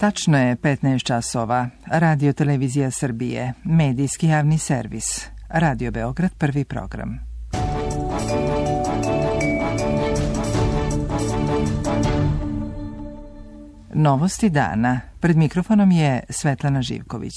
Tačno je 15 časova. Radio Televizija Srbije, medijski javni servis. Radio Beograd, prvi program. Novosti dana. Pred mikrofonom je Svetlana Živković.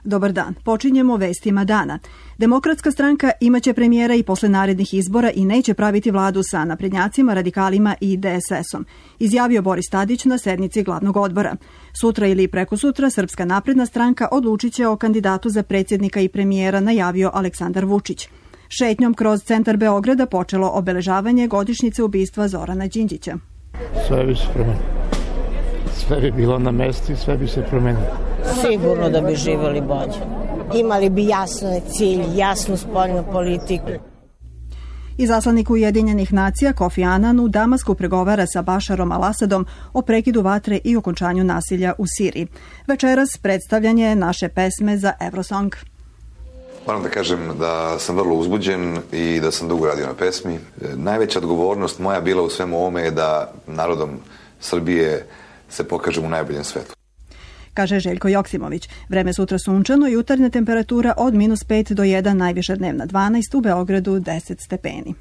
Dobar dan. Počinjemo vestima dana. Demokratska stranka imaće premijera i posle narednih izbora i neće praviti vladu sa naprednjacima, radikalima i DSS-om, izjavio Boris Tadić na sednici glavnog odbora. Sutra ili prekosutra Srpska napredna stranka odlučit će o kandidatu za predsjednika i premijera, najavio Aleksandar Vučić. Šetnjom kroz centar Beograda počelo obeležavanje godišnjice ubistva Zorana Đinđića. Sve bi se promenilo. Sve bi bilo na mestu i sve bi se promenilo. Sigurno da bi živjeli bolje. Imali bi jasan cilj, jasnu spoljnu politiku. Izaslanik Ujedinjenih nacija Kofi Anan u Damasku pregovara sa Bašarom al-Asadom o prekidu vatre i okončanju nasilja u Siriji. Večeras predstavljanje naše pesme za Eurosong. Moram da kažem da sam vrlo uzbuđen i da sam dugo radio na pesmi. Najveća odgovornost moja bila u svemu ovome je da narodom Srbije se pokažem u najboljem svetu, kaže Željko Joksimović. Vreme sutra sunčano, jutarnja temperatura od -5 do 1, najviša dnevna 12, u Beogradu 10 stepeni.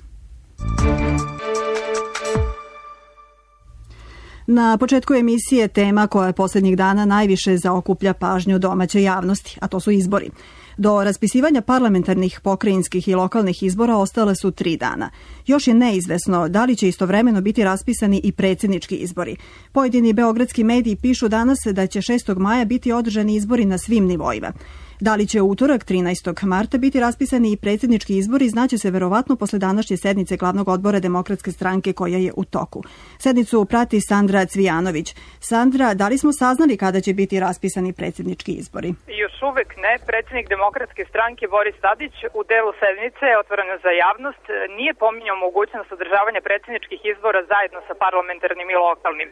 Na početku emisije tema koja posljednjih dana najviše zaokuplja pažnju domaće javnosti, a to su izbori. Do raspisivanja parlamentarnih, pokrajinskih i lokalnih izbora ostale su 3 dana. Još je neizvesno da li će istovremeno biti raspisani i predsjednički izbori. Pojedini beogradski mediji pišu danas da će 6. maja biti održani izbori na svim nivoima. Da li će u utorak 13. marta biti raspisani i predsjednički izbori znaće se verovatno posle današnje sednice glavnog odbora Demokratske stranke koja je u toku. Sednicu prati Sandra Cvijanović. Sandra, da li smo saznali kada će biti raspisani predsjednički izbori? Još uvek ne. Predsjednik Demokratske stranke Boris Tadić u delu sednice otvoreno za javnost nije pominjao mogućnost održavanja predsjedničkih izbora zajedno sa parlamentarnim i lokalnim.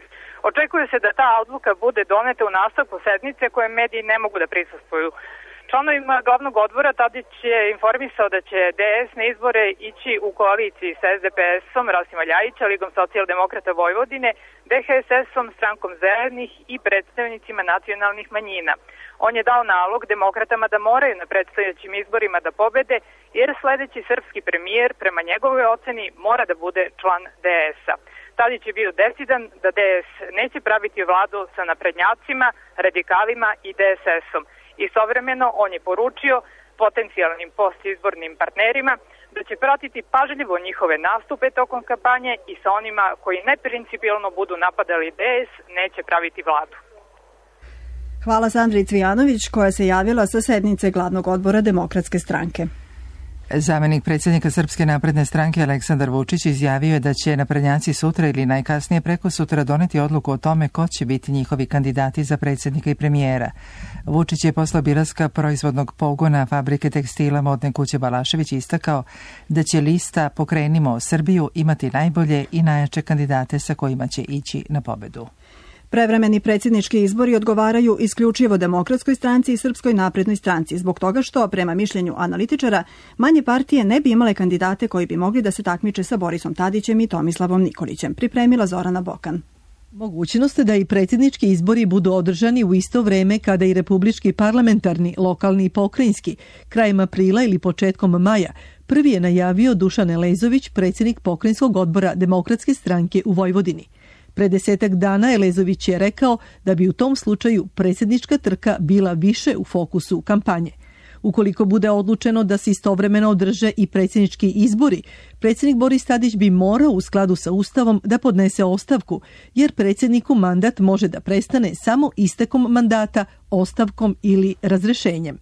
Očekuje se da ta odluka bude doneta u nastavku sednice koje mediji ne mogu da prisustvuju. Članovima glavnog odbora Tadić je informisao da će DS na izbore ići u koaliciji sa SDPS-om Rasima Ljajića, Ligom socijaldemokrata Vojvodine, DHSS-om, Strankom zelenih i predstavnicima nacionalnih manjina. On je dao nalog demokratama da moraju na predstojećim izborima da pobede, jer sledeći srpski premijer, prema njegovoj oceni, mora da bude član DS-a. Tadić je bio decidan da DS neće praviti vladu sa naprednjacima, radikalima i DSS-om. Istovremeno on je poručio potencijalnim postizbornim partnerima da će pratiti pažljivo njihove nastupe tokom kampanje i sa onima koji neprincipijelno budu napadali DS neće praviti vladu. Hvala Sandri Cvijanović koja se javila sa sednice glavnog odbora Demokratske stranke. Zamenik predsjednika Srpske napredne stranke Aleksandar Vučić izjavio je da će naprednjaci sutra ili najkasnije preko sutra doneti odluku o tome ko će biti njihovi kandidati za predsjednika i premijera. Vučić je posle obilaska proizvodnog pogona fabrike tekstila modne kuće Balašević istakao da će lista Pokrenimo Srbiju imati najbolje i najjače kandidate sa kojima će ići na pobedu. Prevremeni predsjednički izbori odgovaraju isključivo Demokratskoj stranci i Srpskoj naprednoj stranci, zbog toga što, prema mišljenju analitičara, manje partije ne bi imale kandidate koji bi mogli da se takmiče sa Borisom Tadićem i Tomislavom Nikolićem, pripremila Zorana Bokan. Mogućnost da i predsjednički izbori budu održani u isto vreme kada i republički parlamentarni, lokalni i pokrajinski, krajem aprila ili početkom maja, prvi je najavio Dušan Elezović, predsjednik pokrajinskog odbora Demokratske stranke u Vojvodini. Pre 10 dana Elezović je rekao da bi u tom slučaju predsjednička trka bila više u fokusu kampanje. Ukoliko bude odlučeno da se istovremeno održe i predsjednički izbori, predsjednik Boris Tadić bi morao u skladu sa Ustavom da podnese ostavku, jer predsjedniku mandat može da prestane samo istekom mandata, ostavkom ili razrešenjem.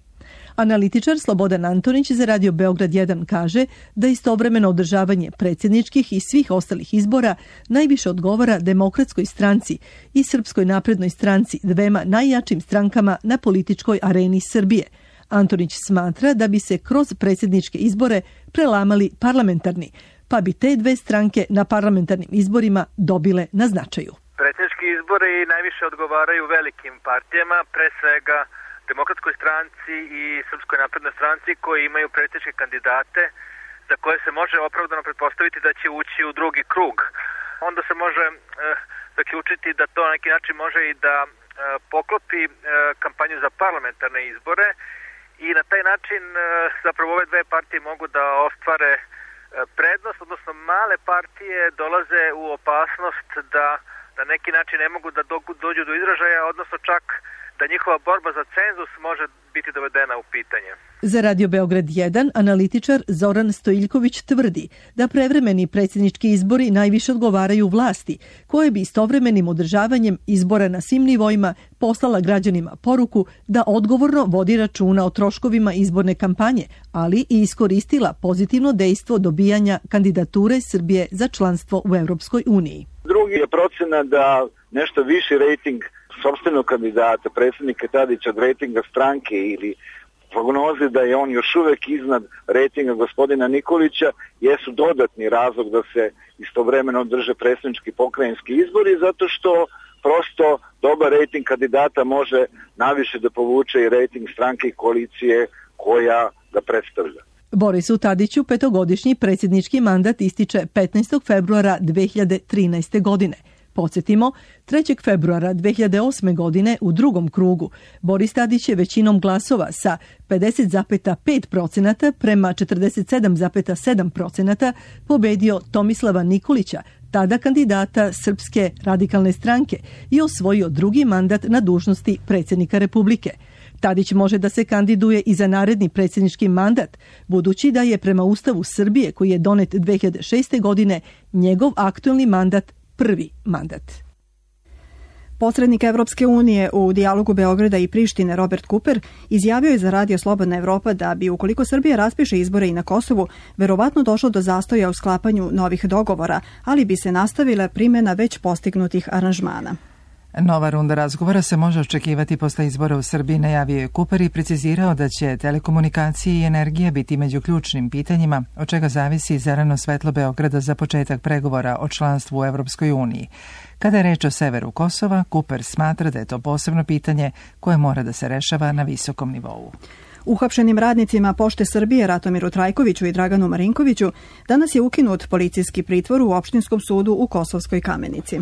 Analitičar Slobodan Antonić za Radio Beograd 1 kaže da istovremeno održavanje predsjedničkih i svih ostalih izbora najviše odgovara Demokratskoj stranci i Srpskoj naprednoj stranci, dvema najjačim strankama na političkoj areni Srbije. Antonić smatra da bi se kroz predsjedničke izbore prelamali parlamentarni, pa bi te dve stranke na parlamentarnim izborima dobile na značaju. Predsjednički izbori najviše odgovaraju velikim partijama, pre svega Demokratskoj stranci i Srpskoj naprednoj stranci koji imaju predsjedničke kandidate za koje se može opravdano pretpostaviti da će ući u drugi krug. Onda se može zaključiti da to na neki način može i da poklopi kampanju za parlamentarne izbore i na taj način zapravo ove dve partije mogu da ostvare prednost, odnosno male partije dolaze u opasnost da na neki način ne mogu da dođu do izražaja, odnosno čak da njihova borba za cenzus može biti dovedena u pitanje. Za Radio Beograd 1 analitičar Zoran Stojiljković tvrdi da prevremeni predsjednički izbori najviše odgovaraju vlasti, koje bi istovremenim održavanjem izbora na svim nivoima poslala građanima poruku da odgovorno vodi računa o troškovima izborne kampanje, ali i iskoristila pozitivno dejstvo dobijanja kandidature Srbije za članstvo u Evropskoj uniji. Drugi je procena da nešto viši rejting sopstvenog kandidata, predsjednika Tadića, od rejtinga stranke ili prognoze da je on još uvek iznad rejtinga gospodina Nikolića jesu dodatni razlog da se istovremeno održe predsjednički pokrajinski izbori, zato što prosto dobar rejting kandidata može naviše da povuče i rejting stranke i koalicije koja ga predstavlja. Borisu Tadiću petogodišnji predsjednički mandat ističe 15. februara 2013. godine. Podsjetimo, 3. februara 2008. godine u drugom krugu Boris Tadić je većinom glasova sa 50,5% prema 47,7% pobedio Tomislava Nikolića, tada kandidata Srpske radikalne stranke, i osvojio drugi mandat na dužnosti predsjednika Republike. Tadić može da se kandiduje i za naredni predsjednički mandat, budući da je prema Ustavu Srbije, koji je donet 2006. godine, njegov aktuelni mandat prvi mandat. Posrednik Evropske unije u dijalogu Beograda i Prištine Robert Cooper izjavio je za Radio Slobodna Evropa da bi, ukoliko Srbija raspiše izbore i na Kosovu, verovatno došlo do zastoja u sklapanju novih dogovora, ali bi se nastavila primjena već postignutih aranžmana. Nova runda razgovora se može očekivati posle izbora u Srbiji, najavio je Cooper i precizirao da će telekomunikacije i energija biti među ključnim pitanjima, od čega zavisi zeleno svetlo Beograda za početak pregovora o članstvu u Evropskoj uniji. Kada je reč o severu Kosova, Cooper smatra da je to posebno pitanje koje mora da se rešava na visokom nivou. Uhapšenim radnicima Pošte Srbije Ratomiru Trajkoviću i Draganu Marinkoviću danas je ukinut policijski pritvor u opštinskom sudu u Kosovskoj Kamenici.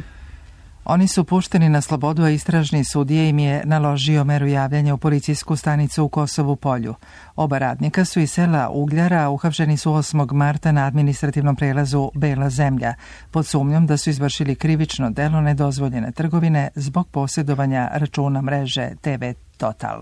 Oni su pušteni na slobodu, a istražni sudija im je naložio meru javljanja u policijsku stanicu u Kosovu Polju. Oba radnika su iz sela Ugljara, a uhapšeni su 8. marta na administrativnom prelazu Bela zemlja, pod sumnjom da su izvršili krivično delo nedozvoljene trgovine zbog posjedovanja računa mreže TV Total.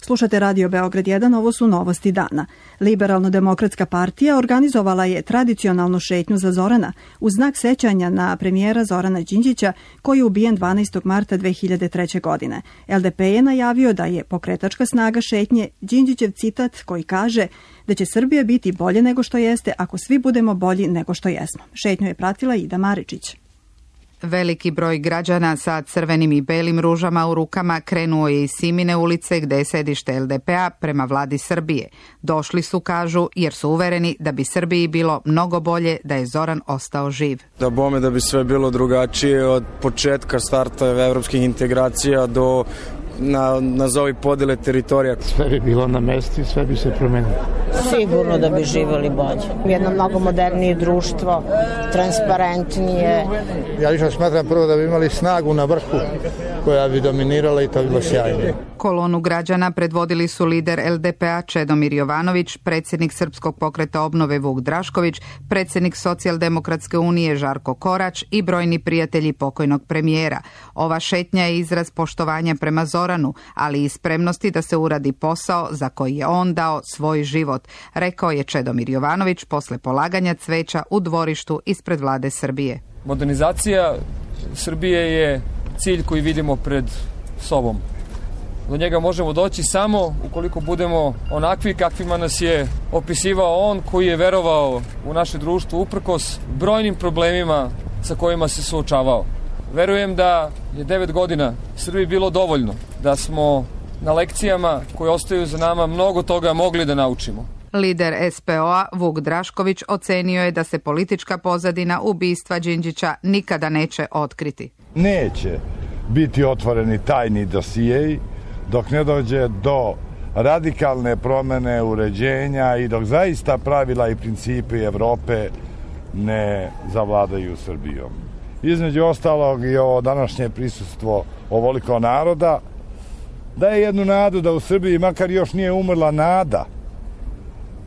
Slušate Radio Beograd 1, ovo su novosti dana. Liberalno-demokratska partija organizovala je tradicionalnu šetnju za Zorana u znak sećanja na premijera Zorana Đinđića, koji je ubijen 12. marta 2003. godine. LDP je najavio da je pokretačka snaga šetnje Đinđićev citat koji kaže da će Srbija biti bolje nego što jeste ako svi budemo bolji nego što jesmo. Šetnju je pratila Ida Maričić. Veliki broj građana sa crvenim i belim ružama u rukama krenuo je iz Simine ulice gde je sedište LDP-a prema vladi Srbije. Došli su, kažu, jer su uvereni da bi Srbiji bilo mnogo bolje da je Zoran ostao živ. Da bome da bi sve bilo drugačije od početka starta evropskih integracija do nazovi podele teritorija. Sve bi bilo na mesti, sve bi se promenilo. Sigurno da bi živjeli bolje. Jedno mnogo modernije društvo, transparentnije. Ja lično smatram prvo da bi imali snagu na vrhu koja bi dominirala i to bi bilo sjajno. Kolonu građana predvodili su lider LDP-a Čedomir Jovanović, predsjednik Srpskog pokreta obnove Vuk Drašković, predsjednik Socijaldemokratske unije Žarko Korać i brojni prijatelji pokojnog premijera. Ova šetnja je izraz poštovanja prema Zoranu, ali i spremnosti da se uradi posao za koji je on dao svoj život, rekao je Čedomir Jovanović posle polaganja cveća u dvorištu ispred vlade Srbije. Modernizacija Srbije je cilj koji vidimo pred sobom. Do njega možemo doći samo ukoliko budemo onakvi kakvima nas je opisivao on, koji je verovao u naše društvo uprkos brojnim problemima sa kojima se suočavao. Verujem da je 9 godina Srbiji bilo dovoljno, da smo na lekcijama koje ostaju za nama mnogo toga mogli da naučimo. Lider SPO-a Vuk Drašković ocenio je da se politička pozadina ubistva Đinđića nikada neće otkriti. Neće biti otvoreni tajni dosijeji dok ne dođe do radikalne promene uređenja i dok zaista pravila i principi Evrope ne zavladaju Srbijom. između ostalog i ovo današnje prisustvo ovoliko naroda, daje jednu nadu da u Srbiji makar još nije umrla nada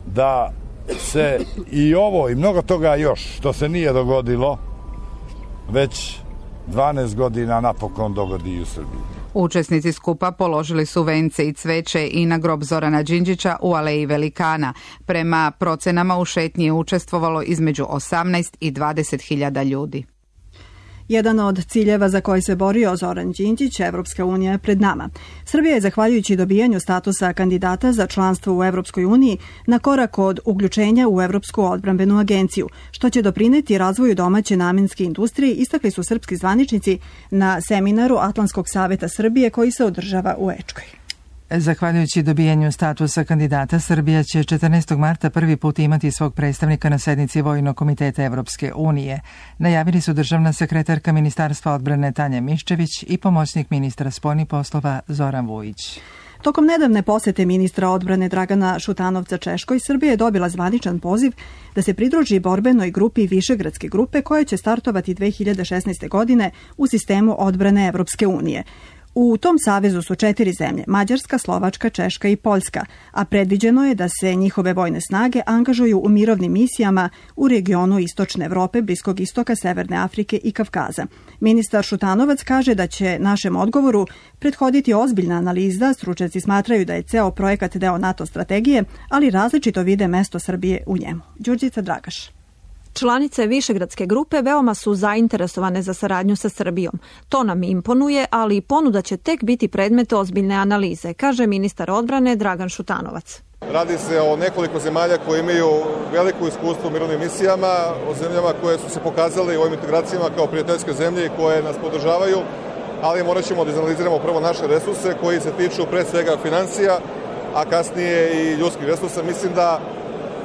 da se i ovo i mnogo toga još što se nije dogodilo već 12 godina napokon dogodi i u Srbiji. Učesnici skupa položili su vence i cveće i na grob Zorana Đinđića u Aleji Velikana. Prema procenama u šetnji je učestvovalo između 18 i 20.000 ljudi. Jedan od ciljeva za koji se borio Zoran Đinđić, Evropska unija je pred nama. Srbija je, zahvaljujući dobijanju statusa kandidata za članstvo u Evropskoj uniji, na korak od uključenja u Evropsku odbrambenu agenciju, što će doprineti razvoju domaće namenske industrije, istakli su srpski zvaničnici na seminaru Atlantskog saveta Srbije koji se održava u Ečkoj. Zahvaljujući dobijanju statusa kandidata, Srbija će 14. marta prvi put imati svog predstavnika na sednici Vojnog komiteta Evropske unije. Najavili su državna sekretarka Ministarstva odbrane Tanja Miščević i pomoćnik ministra spoljnih poslova Zoran Vujić. Tokom nedavne posete ministra odbrane Dragana Šutanovca Češkoj, Srbija je dobila zvaničan poziv da se pridruži borbenoj grupi Višegradske grupe koja će startovati 2016. godine u sistemu odbrane Evropske unije. U tom savezu su 4 zemlje, Mađarska, Slovačka, Češka i Poljska, a predviđeno je da se njihove vojne snage angažuju u mirovnim misijama u regionu Istočne Evrope, Bliskog istoka, Severne Afrike i Kavkaza. Ministar Šutanovac kaže da će našem odgovoru prethoditi ozbiljna analiza, stručnjaci smatraju da je ceo projekat deo NATO strategije, ali različito vide mesto Srbije u njemu. Đurđica Dragaš. Članice Višegradske grupe veoma su zainteresovane za saradnju sa Srbijom. To nam imponuje, ali ponuda će tek biti predmet ozbiljne analize, kaže ministar odbrane Dragan Šutanovac. Radi se o nekoliko zemalja koje imaju veliko iskustvo u mirovnim misijama, o zemljama koje su se pokazale u ovim integracijama kao prijateljske zemlje i koje nas podržavaju, ali morat ćemo da izanaliziramo prvo naše resurse koji se tiču pre svega financija, a kasnije i ljudskih resursa. Mislim da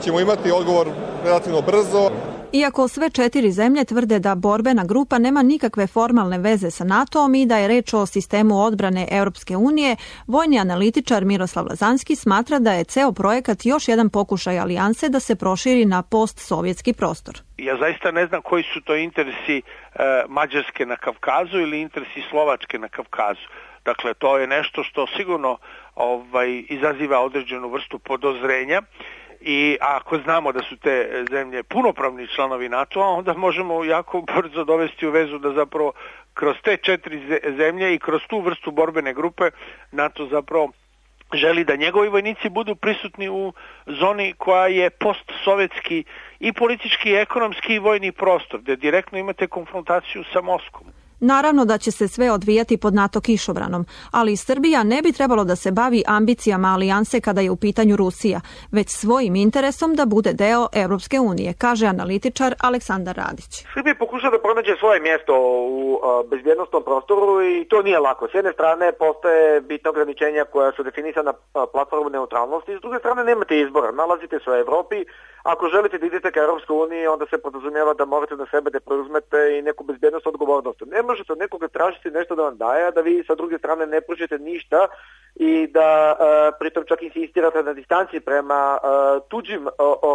ćemo imati odgovor relativno brzo. Iako sve 4 zemlje tvrde da borbena grupa nema nikakve formalne veze sa NATO-om i da je reč o sistemu odbrane Europske unije, vojni analitičar Miroslav Lazanski smatra da je ceo projekat još jedan pokušaj alijanse da se proširi na postsovjetski prostor. Ja zaista ne znam koji su to interesi Mađarske na Kavkazu ili interesi Slovačke na Kavkazu. Dakle, to je nešto što sigurno izaziva određenu vrstu podozrenja. I ako znamo da su te zemlje punopravni članovi NATO-a, onda možemo jako brzo dovesti u vezu da zapravo kroz te 4 zemlje i kroz tu vrstu borbene grupe NATO zapravo želi da njegovi vojnici budu prisutni u zoni koja je postsovjetski i politički, i ekonomski i vojni prostor, gdje direktno imate konfrontaciju sa Moskvom. Naravno da će se sve odvijati pod NATO kišobranom, ali Srbija ne bi trebalo da se bavi ambicijama alijanse kada je u pitanju Rusija, već svojim interesom da bude deo Evropske unije, kaže analitičar Aleksandar Radić. Srbija pokuša da pronađe svoje mjesto u bezbjednostnom prostoru i to nije lako. S jedne strane postoje bitna ograničenja koja su definisana platformom neutralnosti, s druge strane nemate izbora, nalazite se u Evropi. Ako želite da idete ka Evropskoj uniji, onda se podrazumijeva da morate na sebe da preuzmete i neku bezbjednost odgovornost. Ne možete od nekoga tražiti nešto da vam daje, a da vi sa druge strane ne pružite ništa i da pritom čak insistirate na distanci prema tuđim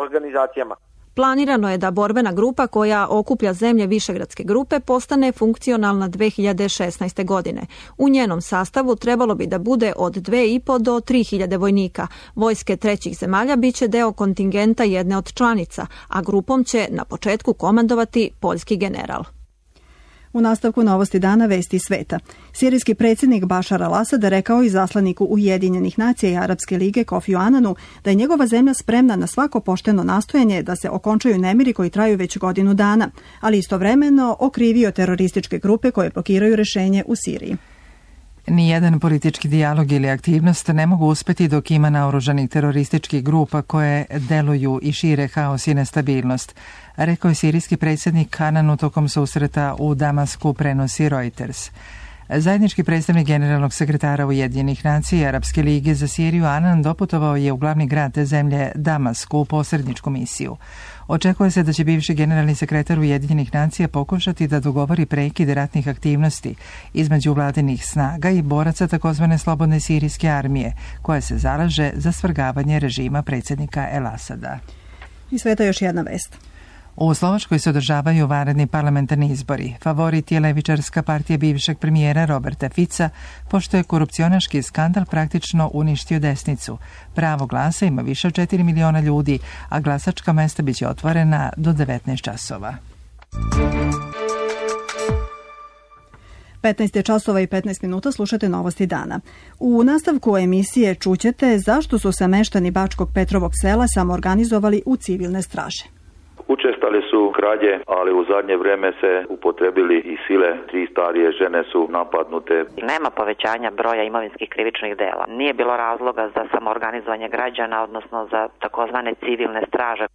organizacijama. Planirano je da borbena grupa koja okuplja zemlje Višegradske grupe postane funkcionalna 2016. godine. U njenom sastavu trebalo bi da bude od 2.500 do 3.000 vojnika. Vojske trećih zemalja biće deo kontingenta jedne od članica, a grupom će na početku komandovati poljski general. U nastavku novosti dana vesti sveta. Sirijski predsjednik Bašar al-Asad rekao izaslaniku Ujedinjenih nacija i Arapske lige Kofiju Ananu da je njegova zemlja spremna na svako pošteno nastojanje da se okončaju nemiri koji traju već godinu dana, ali istovremeno okrivio terorističke grupe koje blokiraju rešenje u Siriji. Nijedan politički dijalog ili aktivnost ne mogu uspeti dok ima naoružanih terorističkih grupa koje deluju i šire haos i nestabilnost, rekao je sirijski predsjednik Ananu tokom susreta u Damasku, prenosi Reuters. Zajednički predstavnik generalnog sekretara Ujedinjenih nacija i Arapske lige za Siriju Anan doputovao je u glavni grad te zemlje Damasku u posredničku misiju. Očekuje se da će bivši generalni sekretar Ujedinjenih nacija pokušati da dogovori prekid ratnih aktivnosti između vladinih snaga i boraca takozvane slobodne sirijske armije, koja se zalaže za svrgavanje režima predsjednika El Asada. I sveta još jedna vest. U Slovačkoj se održavaju vanredni parlamentarni izbori. Favorit je levičarska partija bivšeg premijera Roberta Fica, pošto je korupcionaški skandal praktično uništio desnicu. Pravo glasa ima više od 4 miliona ljudi, a glasačka mesta biće otvorena do 19 časova. 15 je časova i 15 minuta, slušate novosti dana. U nastavku emisije čućete zašto su se meštani Bačkog Petrovog sela samoorganizovali u civilne straže. Učestali su krađe, ali u zadnje vreme se upotrebili i sile. 3 starije žene su napadnute. Nema povećanja broja imovinskih krivičnih dela. Nije bilo razloga za samoorganizovanje građana, odnosno za takozvane civilne straže.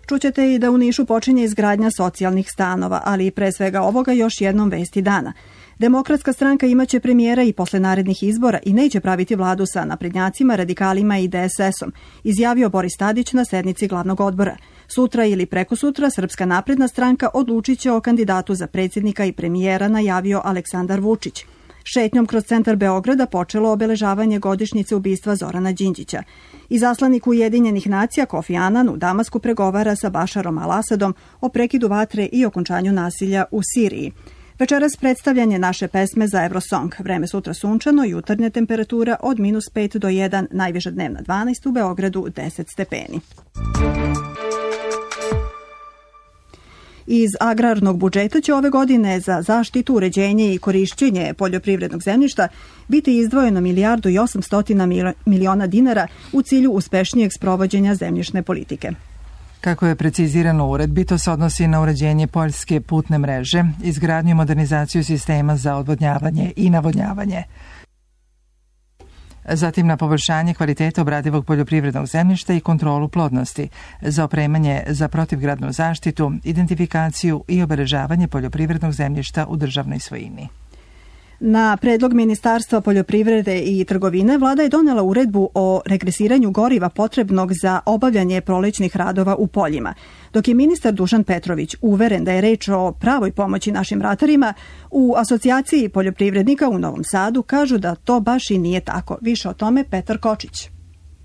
Čućete i da u Nišu počinje izgradnja socijalnih stanova, ali pre svega ovoga još jednom vesti dana. Demokratska stranka imaće premijera i posle narednih izbora i neće praviti vladu sa naprednjacima, radikalima i DSS-om, izjavio Boris Tadić na sednici glavnog odbora. Sutra ili prekosutra Srpska napredna stranka odlučit će o kandidatu za predsjednika i premijera, najavio Aleksandar Vučić. Šetnjom kroz centar Beograda počelo obeležavanje godišnjice ubistva Zorana Đinđića. Izaslanik Ujedinjenih nacija Kofi Anan u Damasku pregovara sa Bašarom al-Asadom o prekidu vatre i okončanju nasilja u Siriji. Večeras predstavljanje naše pesme za Eurosong. Vreme sutra sunčano, jutarnja temperatura od -5 do 1, najviša dnevna 12, u Beogradu 10 stepeni. Iz agrarnog budžeta će ove godine za zaštitu, uređenje i korišćenje poljoprivrednog zemljišta biti izdvojeno 1.800.000.000 dinara u cilju uspešnijeg sprovođenja zemljišne politike. Kako je precizirano u uredbi, to se odnosi na uređenje poljske putne mreže, izgradnju i modernizaciju sistema za odvodnjavanje i navodnjavanje. Zatim na poboljšanje kvaliteta obradivog poljoprivrednog zemljišta i kontrolu plodnosti, za opremanje za protivgradnu zaštitu, identifikaciju i obeležavanje poljoprivrednog zemljišta u državnoj svojini. Na predlog Ministarstva poljoprivrede i trgovine vlada je donela uredbu o regresiranju goriva potrebnog za obavljanje prolećnih radova u poljima. Dok je ministar Dušan Petrović uveren da je reč o pravoj pomoći našim ratarima, u Asocijaciji poljoprivrednika u Novom Sadu kažu da to baš i nije tako. Više o tome Petar Kočić.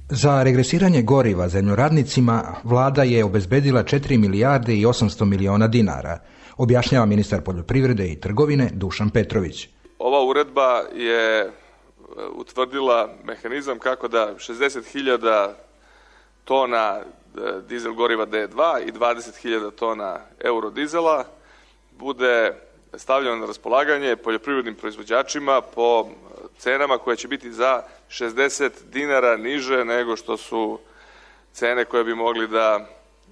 Za regresiranje goriva zemljoradnicima vlada je obezbedila 4 milijarde i 800 miliona dinara, objašnjava ministar poljoprivrede i trgovine Dušan Petrović. Ova uredba je utvrdila mehanizam kako da 60.000 tona dizel goriva D2 i 20.000 tona eurodizela bude stavljeno na raspolaganje poljoprivrednim proizvođačima po cenama koje će biti za 60 dinara niže nego što su cene koje bi mogli da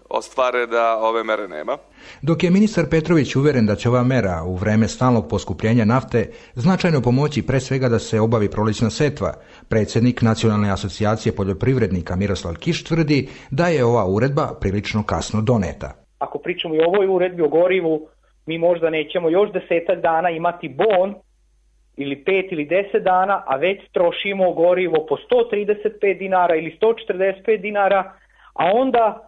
ostvare da ove mere nema. Dok je ministar Petrović uveren da će ova mera u vreme stalnog poskupljenja nafte značajno pomoći pre svega da se obavi prolećna setva, predsjednik Nacionalne asocijacije poljoprivrednika Miroslav Kiš tvrdi da je ova uredba prilično kasno doneta. Ako pričamo i o ovoj uredbi o gorivu, mi možda nećemo još 10 dana imati bon ili 5 ili 10 dana, a već trošimo gorivo po 135 dinara ili 145 dinara, a onda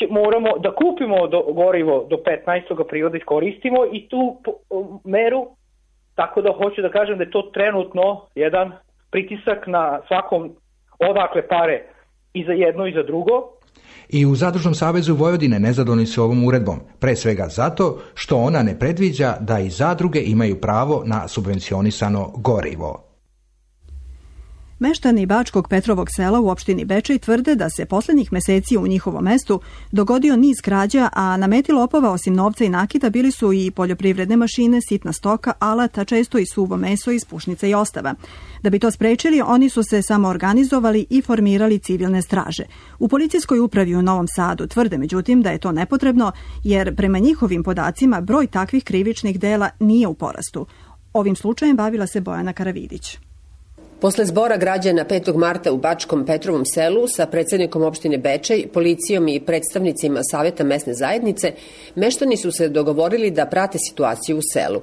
moramo da kupimo gorivo do 15. aprila da iskoristimo i tu meru, tako da hoću da kažem da je to trenutno jedan pritisak na svakom odakle pare i za jedno i za drugo. I u Zadružnom savezu Vojvodine nezadovoljni su ovom uredbom, pre svega zato što ona ne predviđa da i zadruge imaju pravo na subvencionisano gorivo. Meštani Bačkog Petrovog sela u opštini Bečej tvrde da se poslednjih meseci u njihovom mestu dogodio niz krađa, a na meti lopova osim novca i nakita bili su i poljoprivredne mašine, sitna stoka, alata, često i suvo meso iz pušnica i ostava. Da bi to sprečili, oni su se samoorganizovali i formirali civilne straže. U policijskoj upravi u Novom Sadu tvrde međutim da je to nepotrebno, jer prema njihovim podacima broj takvih krivičnih dela nije u porastu. Ovim slučajem bavila se Bojana Karavidić. Posle zbora građana 5. marta u Bačkom Petrovom selu sa predsjednikom opštine Bečej, policijom i predstavnicima Saveta mesne zajednice, meštani su se dogovorili da prate situaciju u selu.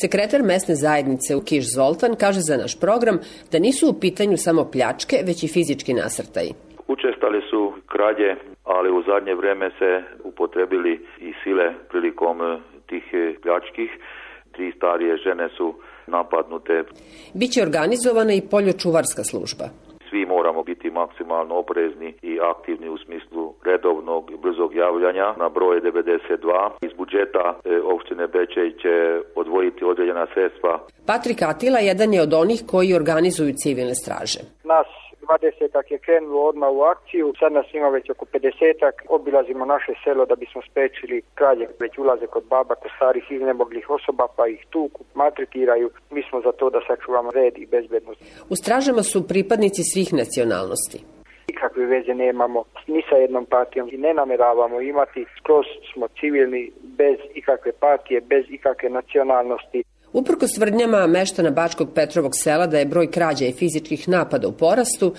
Sekretar mesne zajednice u Kiš Zoltan kaže za naš program da nisu u pitanju samo pljačke, već i fizički nasrtaji. Učestali su krađe, ali u zadnje vreme se upotrebili i sile prilikom tih pljačkih. 3 starije žene su napadnute. Biće organizovana i poljočuvarska služba. svi moramo biti maksimalno oprezni i aktivni u smislu redovnog i brzog javljanja na broj 92. Iz budžeta opštine Bečej će odvojiti određena sredstva. Patrik Atila jedan je od onih koji organizuju civilne straže. Nas 20-ak je krenulo odmah u akciju, sad nas ima već oko 50-ak, obilazimo naše selo da bismo spriječili krađe, već ulaze kod baba, kod starih iznemoglih osoba pa ih tuku, maltretiraju. Mi smo za to da sačuvamo red i bezbednost. U stražama su pripadnici svih nacionalnosti. Nikakve veze nemamo ni sa jednom partijom i ne nameravamo imati, skroz smo civilni, bez ikakve partije, bez ikakve nacionalnosti. Uprkos tvrdnjama meštana Bačkog Petrovog sela da je broj krađa i fizičkih napada u porastu,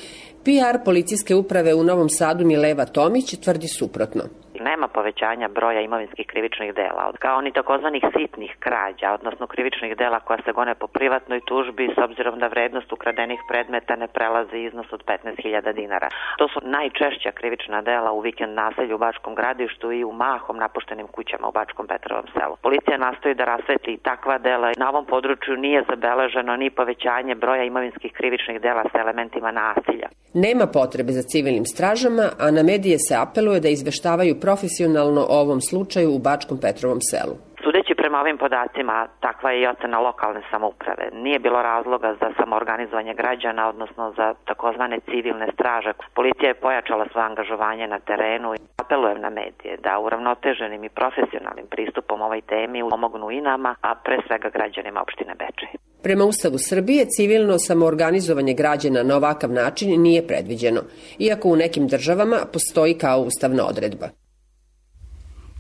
PR policijske uprave u Novom Sadu Mileva Tomić tvrdi suprotno. Nema povećanja broja imovinskih krivičnih dela, kao ni takozvanih sitnih krađa, odnosno krivičnih dela koja se gone po privatnoj tužbi s obzirom da vrednost ukradenih predmeta ne prelazi iznos od 15.000 dinara. To su najčešća krivična dela u vikend naselju u Bačkom Gradištu i u mahom napuštenim kućama u Bačkom Petrovom selu. Policija nastoji da rasvetli i takva dela. Na ovom području nije zabeleženo ni povećanje broja imovinskih krivičnih dela sa elementima nasilja. Nema potrebe za civilnim stražama, a na medije se apeluje da izveštavaju profesionalno o ovom slučaju u Bačkom Petrovom selu. Sudeći prema ovim podacima, takva je i ocena lokalne samouprave. Nije bilo razloga za samoorganizovanje građana, odnosno za takozvane civilne straže. Policija je pojačala svoje angažovanje na terenu i apelujem na medije da uravnoteženim i profesionalnim pristupom ovoj temi pomognu i nama, a pre svega građanima opštine Bečej. Prema Ustavu Srbije, civilno samoorganizovanje građana na ovakav način nije predviđeno, iako u nekim državama postoji kao ustavna odredba.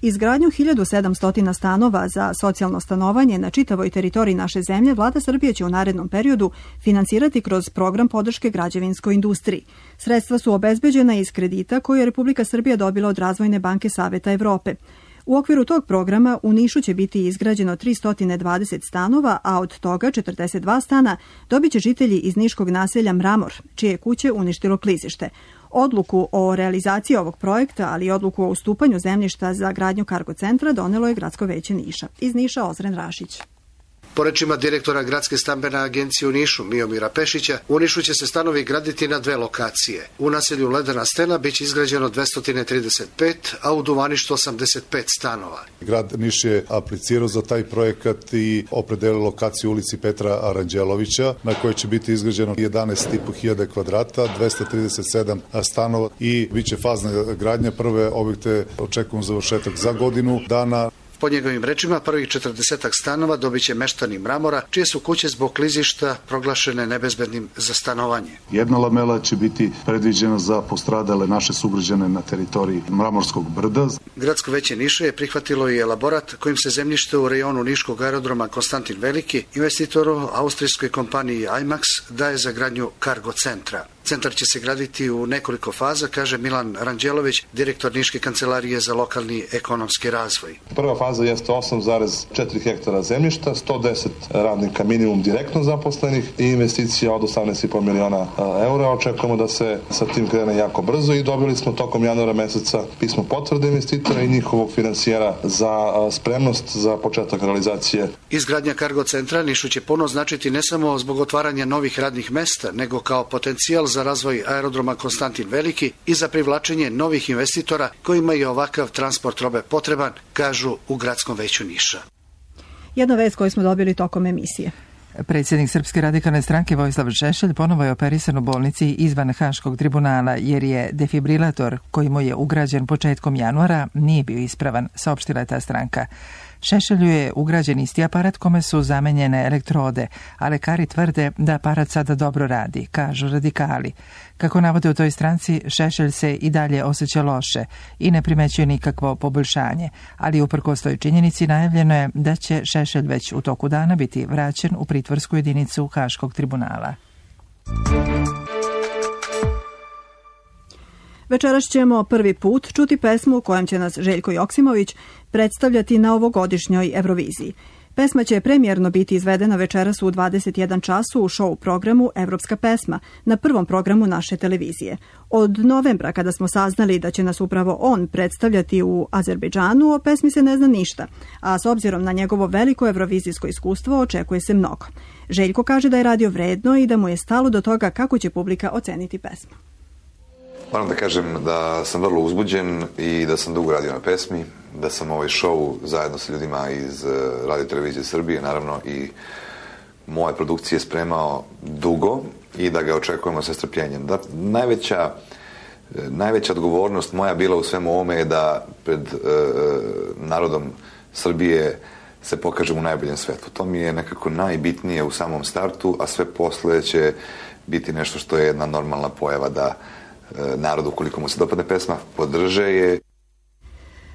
Izgradnju 1700 stanova za socijalno stanovanje na čitavoj teritoriji naše zemlje Vlada Srbije će u narednom periodu finansirati kroz program podrške građevinskoj industriji. Sredstva su obezbeđena iz kredita koje je Republika Srbija dobila od Razvojne banke Saveta Evrope. U okviru tog programa u Nišu će biti izgrađeno 320 stanova, a od toga 42 stana dobit će žitelji iz niškog naselja Mramor, čije kuće uništilo klizište. Odluku o realizaciji ovog projekta, ali i odluku o ustupanju zemljišta za gradnju kargo centra donelo je Gradsko veće Niša. Iz Niša Ozren Rašić. Po rečima direktora Gradske stambene agencije u Nišu, Miomira Pešića, u Nišu će se stanovi graditi na 2 lokacije. U naselju Ledena stena biće izgrađeno 235, a u Duvaništu 85 stanova. Grad Niš je aplicirao za taj projekat i opredelio lokaciju ulici Petra Aranđelovića, na kojoj će biti izgrađeno 11.500 kvadrata, 237 stanova i biće fazna gradnja. Prve objekte očekujemo završetak za godinu dana. Po njegovim rečima, prvih 40 stanova dobit će meštani Mramora, čije su kuće zbog klizišta proglašene nebezbednim za stanovanje. Jedna lamela će biti predviđena za postradale naše sugrađane na teritoriji Mramorskog brda. Gradsko veće Niša je prihvatilo i elaborat kojim se zemljište u rejonu niškog aerodroma Konstantin Veliki investitoru austrijskoj kompaniji IMAX daje za gradnju kargo centra. Centar će se graditi u nekoliko faza, kaže Milan Ranđelović, direktor Niške kancelarije za lokalni ekonomski razvoj. Prva faza jeste 8,4 hektara zemljišta, 110 radnika minimum direktno zaposlenih i investicija od 18,5 miliona eura. Očekujemo da se sa tim krene jako brzo i dobili smo tokom januara meseca pismo potvrde investitora i njihovog finansijera za spremnost za početak realizacije. Izgradnja kargo centra Nišu će puno značiti ne samo zbog otvaranja novih radnih mesta, nego kao potencijal za razvoj aerodroma Konstantin Veliki i za privlačenje novih investitora kojima je ovakav transport robe potreban, kažu u Gradskom veću Niša. Jedna vest koju smo dobili tokom emisije. Predsjednik Srpske radikalne stranke Vojislav Šešelj ponovo je operisan u bolnici izvan Haškog tribunala jer je defibrilator koji mu je ugrađen početkom januara nije bio ispravan, saopštila je ta stranka. Šešelju je ugrađen isti aparat kome su zamenjene elektrode, a lekari tvrde da aparat sada dobro radi, kažu radikali. Kako navode u toj stranci, Šešelj se i dalje osjeća loše i ne primećuje nikakvo poboljšanje, ali uprkos toj činjenici najavljeno je da će Šešelj već u toku dana biti vraćen u pritvorsku jedinicu Haškog tribunala. Večeras ćemo prvi put čuti pesmu u kojem će nas Željko Joksimović predstavljati na ovogodišnjoj Euroviziji. Pesma će premijerno biti izvedena večeras u 21 času u show programu Evropska pesma na prvom programu naše televizije. Od novembra, kada smo saznali da će nas upravo on predstavljati u Azerbejdžanu, o pesmi se ne zna ništa, a s obzirom na njegovo veliko evrovizijsko iskustvo očekuje se mnogo. Željko kaže da je radio vredno i da mu je stalo do toga kako će publika oceniti pesmu. Moram da kažem da sam vrlo uzbuđen i da sam dugo radio na pesmi, da sam ovaj show zajedno sa ljudima iz Radio Televizije Srbije, naravno i moje produkcije spremao dugo i da ga očekujemo sa strpljenjem. Da, najveća odgovornost moja bila u svemu ovome je da pred narodom Srbije se pokažem u najboljem svetu. To mi je nekako najbitnije u samom startu, a sve posle će biti nešto što je jedna normalna pojava da narodu, ukoliko mu se dopadne pesma, podrže je.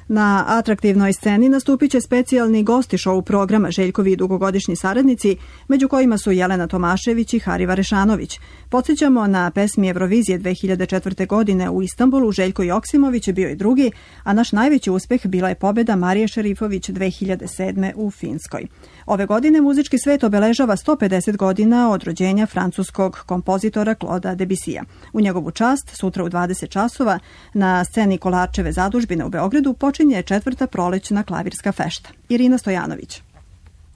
Na atraktivnoj sceni nastupit će specijalni gosti show programa Željkovi dugogodišnji saradnici, među kojima su Jelena Tomašević i Hariva Rešanović. Podsjećamo, na pesmi Eurovizije 2004. godine u Istanbulu Željko Joksimović je bio i drugi, a naš najveći uspeh bila je pobjeda Marije Šerifović 2007. u Finskoj. Ove godine muzički svet obeležava 150 godina od rođenja francuskog kompozitora Claude'a Debussija. U njegovu čast, sutra u 20 časova, na sceni Kolarčeve zadužbine u Beogradu počinje 4. prolećna klavirska fešta. Irina Stojanović.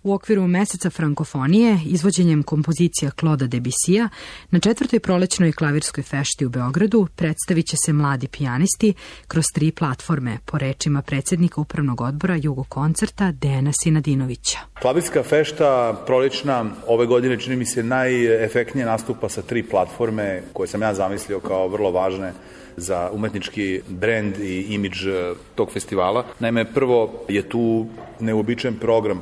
U okviru meseca frankofonije, izvođenjem kompozicija Claude'a Debussija, na 4. prolećnoj klavirskoj fešti u Beogradu predstavit će se mladi pijanisti kroz 3 platforme, po rečima predsjednika Upravnog odbora Jugokoncerta Dejana Sinadinovića. Klavirska fešta prolećna ove godine čini mi se najefektnije nastupa sa 3 platforme koje sam ja zamislio kao vrlo važne za umetnički brend i imidž tog festivala. Naime, prvo je tu neuobičajen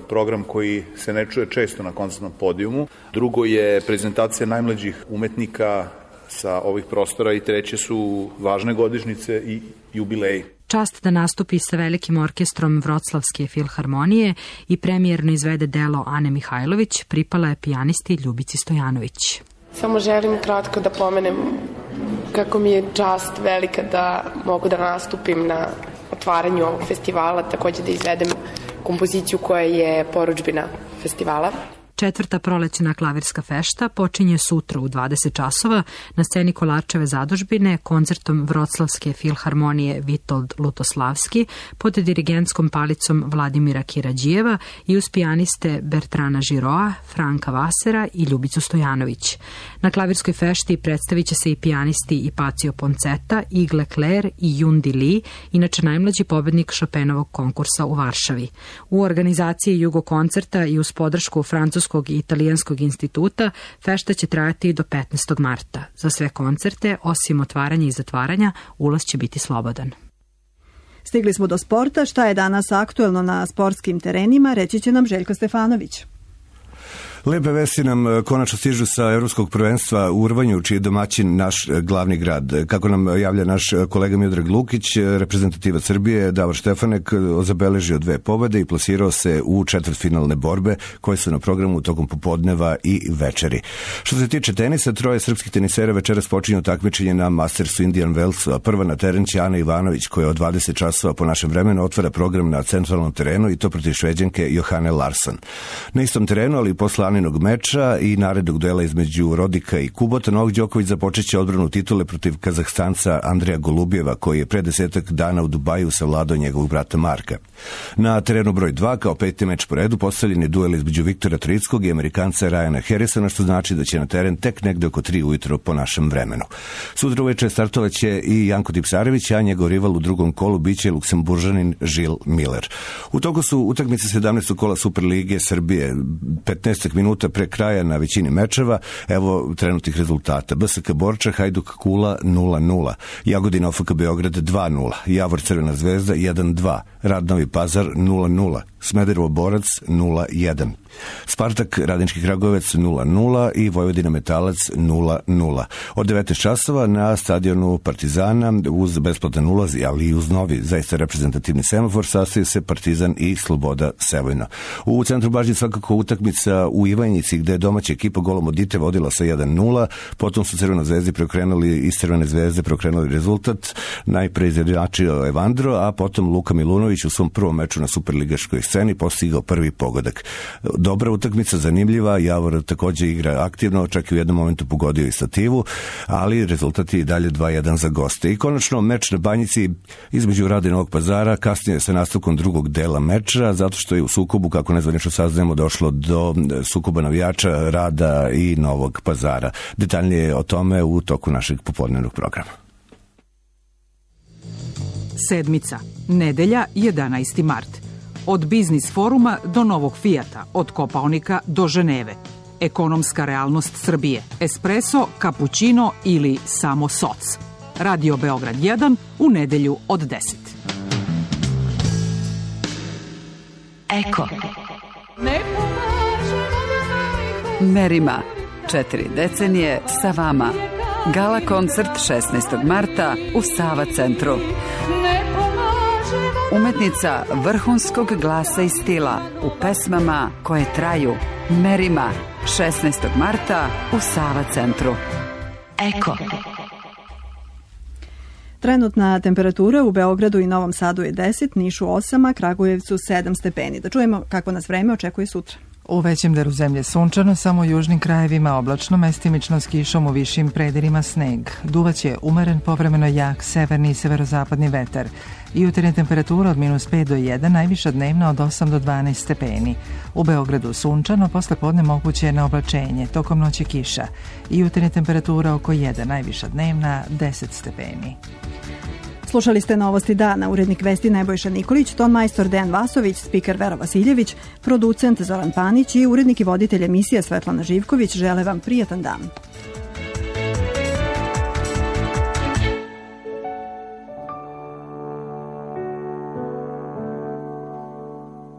program koji se ne čuje često na koncertnom podijumu. Drugo je prezentacija najmlađih umetnika sa ovih prostora i treće su važne godišnjice i jubileji. Čast da nastupi sa velikim orkestrom Vroclavske filharmonije i premijerno izvede delo Ane Mihajlović pripala je pijanisti Ljubici Stojanović. Samo želim kratko da pomenem kako mi je čast velika da mogu da nastupim na otvaranju ovog festivala, također da izvedem kompoziciju koja je porudžbina festivala. 4. prolećna klavirska fešta počinje sutra u 20 časova na sceni Kolarčeve zadužbine koncertom Vroclavske filharmonije Vitold Lutoslavski pod dirigentskom palicom Vladimira Kirađijeva i uz pijaniste Bertrana Žiroa, Franka Vasera i Ljubicu Stojanović. Na klavirskoj fešti predstavit će se i pijanisti Ipacio Ponceta, Igle Kler i Jundi Lee, inače najmlađi pobednik Chopinovog konkursa u Varšavi. U organizaciji Jugokoncerta i uz podršku Francuskog i Italijanskog instituta fešta će trajati do 15. marta. Za sve koncerte, osim otvaranja i zatvaranja, ulaz će biti slobodan. Stigli smo do sporta. Šta je danas aktuelno na sportskim terenima, reći će nam Željko Stefanović. Lepe vesti nam konačno stižu sa Evropskog prvenstva u rvanju, čiji je domaćin naš glavni grad. Kako nam javlja naš kolega Miodrag Lukić, reprezentativac Srbije Davor Štefanek zabeležio 2 pobede i plasirao se u četvrtfinalne borbe koje su na programu tokom popodneva i večeri. Što se tiče tenisa, 3 srpskih tenisera večeras počinju takmičenje na Mastersu Indian Wellsu, a prva na teren će Ana Ivanović, koja od 20 časova po našem vremenu otvara program na centralnom terenu i to protiv Šveđanke Johane Larsson. Na istom terenu, ali posle Aninog meča i narednog duela između Rodika i Kubota, Novak Đoković započeće odbranu titule protiv Kazahstanca Andreja Golubjeva, koji je pre 10 dana u Dubaju savladao njegovog brata Marka. Na terenu broj 2, kao 5. meč po redu, postavljen je duel između Viktora Trickog i Amerikanca Ryana Harrisona, što znači da će na teren tek negde oko 3 ujutro po našem vremenu. Sutra uveče startovaće i Janko Tipsarević, a njegov rival u drugom kolu biće Luksemburžanin Žil Miller. U toku su utakmice 17. kola Superlige Srbije. 15 minuta pre kraja na većini mečeva, evo trenutnih rezultata. BSK Borča, Hajduk Kula 0-0, Jagodina OFK Beograd 2-0, Javor Crvena zvezda 1-2, Rad Novi Pazar 0-0, Smederevo Borac 0-1, Spartak Radnički Kragujevac 0-0 i Vojvodina Metalac 0-0. Od 19 časova na stadionu Partizana uz besplatan ulaz, ali i uz novi zaista reprezentativni semafor, sastaju se Partizan i Sloboda Sevojno. U centru pažnje svakako utakmica u Ivanjici, gde je domaća ekipa golom od Dite vodila sa 1-0, potom su Crvena zvezdi iz Crvene zvezde preokrenuli rezultat, najpre izjednačio Evandro, a potom Luka Milunović u svom prvom meču na superligaškoj sceni sceni postigao prvi pogodak. Dobra utakmica, zanimljiva, Javor takođe igra aktivno, čak i u jednom momentu pogodio i stativu, ali rezultat je i dalje 2-1 za goste. I konačno meč na Banjici između Rada i Novog Pazara, kasnije sa nastavkom drugog dela meča, zato što je u sukobu, kako nezvanično saznajemo, došlo do sukoba navijača Rada i Novog Pazara. Detaljnije o tome u toku našeg popodnevnog programa. Sedmica, nedelja, 11. mart. Od biznis foruma do novog Fijata, od Kopaonika do Ženeve. Ekonomska realnost Srbije, espresso, kapućino ili samo soc. Radio Beograd 1 u nedelju od 10. Eko. Merima. 4 decenije sa vama. Gala koncert 16. marta u Sava centru. Umetnica vrhunskog glasa i stila u pesmama koje traju. Merima. 16. marta u Sava centru. Eko. Trenutna temperatura u Beogradu i Novom Sadu je 10, Nišu 8, a Kragujevcu 7 stepeni. Da čujemo kako nas vreme očekuje sutra. U većem delu zemlje sunčano, samo u južnim krajevima oblačno, mestimično s kišom, u višim predelima sneg. Duvaće umeren, povremeno jak severni i severozapadni vetar. Jutarnja temperatura od -5 do 1, najviša dnevna od 8 do 12 stepeni. U Beogradu sunčano, posle podne moguće na oblačenje, tokom noći kiša. Jutarnja temperatura oko 1, najviša dnevna 10 stepeni. Slušali ste Novosti dana, urednik vesti Nebojša Nikolić, ton majstor Dejan Vasović, spiker Vera Vasiljević, producent Zoran Panić i urednik i voditelj emisije Svetlana Živković žele vam prijatan dan.